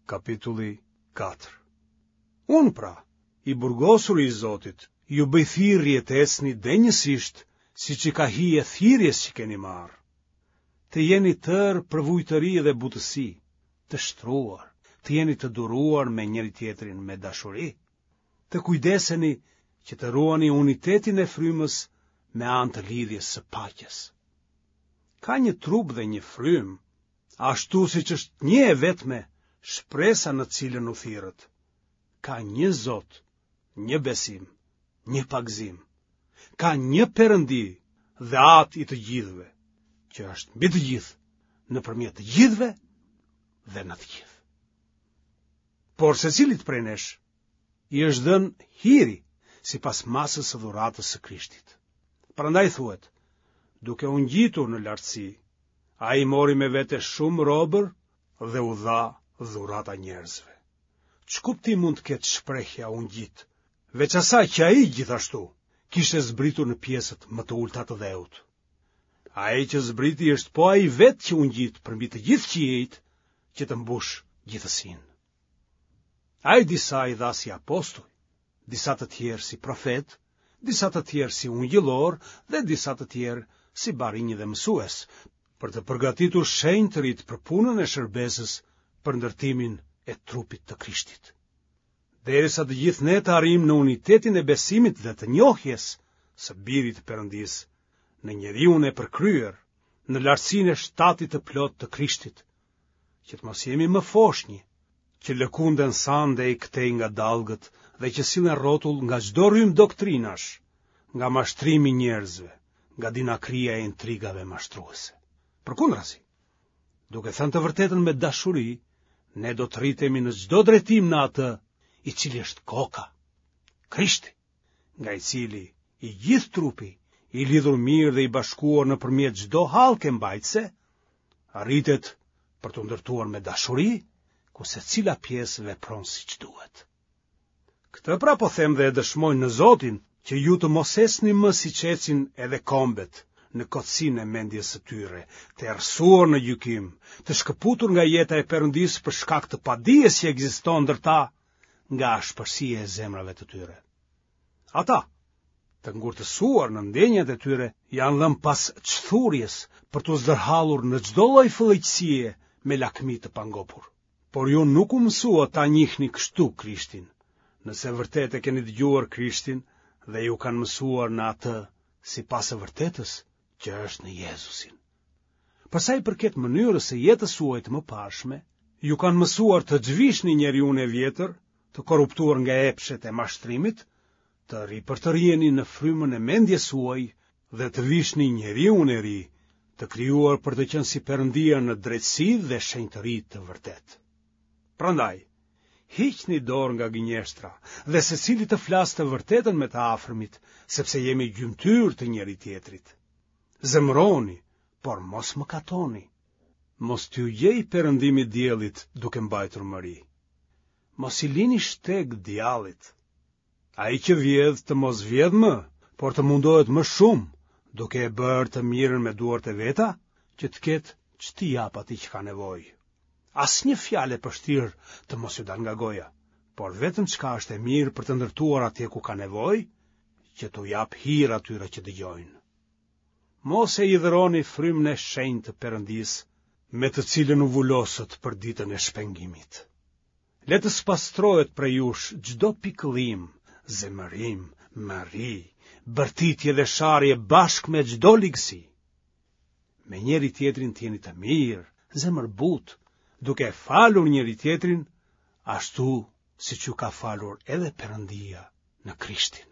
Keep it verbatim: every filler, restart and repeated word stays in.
Kapitulli katër. Unë pra, i burgosuri i Zotit, ju bëj thirrje të ecni denjësisht, siç i ka hije thirrjes që keni marrë. Të jeni tërë përvujtëri dhe butësi, të shtruar, të jeni të duruar me njëri-tjetrin me dashuri. Të kujdeseni që të ruani unitetin e frymës me anë të lidhjes së paqes. Ka një trup dhe një frymë, ashtu siç është një e vetme shpresa në cilën u thirrët. Ka një Zot, një besim, një pagëzim. Ka një Perëndi dhe Atë i të gjithëve, që është mbi të gjithë, nëpërmjet të gjithëve dhe në të gjithë. Por secilit prej nesh i është dhënë hiri sipas masës së dhuratës së Krishtit. Prandaj thuhet, duke u ngjitur në lartësi, ai mori me vete shumë robër dhe u dha dhurata njerëzve. Ç'kuptim mund të ketë shprehja u ngjit, veç asaj që ai gjithashtu kishte zbritur në pjesët më të ulëta të dheut. Ai që zbriti është po ai vetë që u ngjit përmbi të gjithë qiejt që të mbushë gjithësinë. Ai disa i dha si apostuj, disa të tjerë si profetë, disa të tjerë si ungjillorë dhe disa të tjerë si barinj dhe mësues, për të përgatitur shenjtërit për punën e shërbesës për ndërtimin e trupit të Krishtit. Derisa të gjithë ne të arrijmë në unitetin e besimit dhe të njohjes së Birit të Perëndisë, në njeriun e përkryer, në lartësinë e shtatit të plotë të Krishtit, që të mos jemi më foshnjë, që lëkunden sa andej këtej nga dallgët dhe që sillen rrotull nga çdo rrymë doktrinash, nga mashtrimi i njerëzve, nga dinakria e intrigave mashtruese. Përkundrazi, duke thënë të vërtetën me dashuri, ne do të rritemi në çdo drejtim në atë i cili është koka, Krishti, nga i cili i gjithë trupi, i lidhur mirë dhe i bashkuar nëpërmjet çdo hallke mbajtëse, rritet për t'u ndërtuar me dashuri, ku secila pjesë vepron siç duhet. Këtë pra po them dhe e dëshmoj në Zotin, që ju të mos ecni më siç ecin edhe kombet, në kotësinë e mendjes së tyre, të errësuar në gjykim, të shkëputur nga jeta e Perëndisë për shkak të padijes që ekziston ndër ta nga ashpërsia e zemrave të tyre. Ata, të ngurtësuar në ndjenjat e tyre, janë dhënë pas çthurjes për t'u zdërhallur në çdo lloj fëlliqësie me lakmi të pangopur. Por ju nuk u mësuat ta njihni kështu Krishtin, nëse vërtet e keni dëgjuar Krishtin dhe ju kanë mësuar në atë sipas së vërtetës që është në Jezusin. Për sa i përket mënyrës së jetës suaj të mëparshme, ju kanë mësuar të zhvishni njeriun e vjetër, të korruptuar nga epshet e mashtrimit, të ripërtëriheni në frymën e mendjes suaj dhe të vishni njeriun e ri, të krijuar për të qenë si Perëndia në drejtësi dhe shenjtëri të vërtetë. Prandaj, hiqni dorë nga gënjeshtra dhe secili të flasë të vërtetën me të afërmit, sepse jemi gjymtyrë të njëri-tjetrit. Zemëroni, por mos mëkatoni. Mos t'ju gjejë perëndimi i diellit duke mbajtur mëri. Mos i lini shteg djallit. Ai që vjedh të mos vjedhë më, por të mundohet më shumë, duke e bërë të mirën me duart e veta, që të ketë ç't'i japë atij që ka nevojë. Asnjë fjalë e pështirë të mos ju dalë nga goja, por vetëm çka është e mirë për të ndërtuar atje ku ka nevojë, që t'u japë hir atyre që dëgjojnë. Mos e hidhëroni frymën e shenjtë të Perëndisë, me të cilën u vulosët për ditën e shpengimit. Le të spastrohet prej jush çdo pikëllim, zemërim, mëri, bërtitje dhe sharje bashkë me çdo ligësi. Me njëri-tjetrin të jeni të mirë, zemërbutë, duke e falur njëri-tjetrin, ashtu siç ju ka falur edhe Perëndia në Krishtin.